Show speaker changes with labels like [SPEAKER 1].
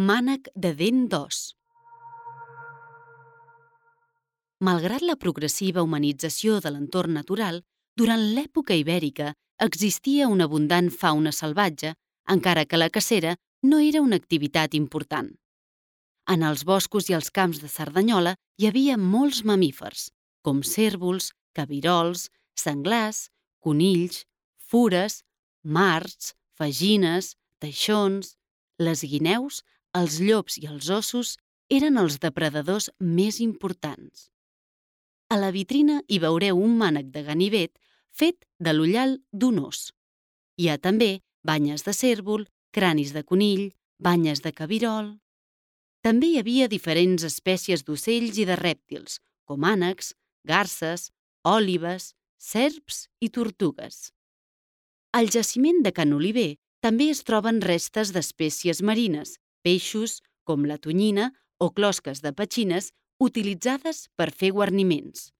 [SPEAKER 1] Mànec de dent d'os. Malgrat la progressiva humanització de l'entorn natural, durant l'època ibèrica existia una abundant fauna salvatge, encara que la cacera no era una activitat important. En els boscos i els camps de Cerdanyola hi havia molts mamífers, com cérvols, cabirols, senglars, conills, fures, marts, fagines, teixons. Les guineus, els llops i els ossos eren els depredadors més importants. A la vitrina hi veureu un mànec de ganivet fet de l'ullal d'un os. Hi ha també banyes de cérvol, cranis de conill, banyes de cabirol. També hi havia diferents espècies d'ocells i de rèptils, com ànecs, garses, òlibes, serps i tortugues. Al jaciment de Can Oliver també es troben restes d'espècies marines, peixos, com la tonyina o closques de petxines, utilitzades per fer guarniments.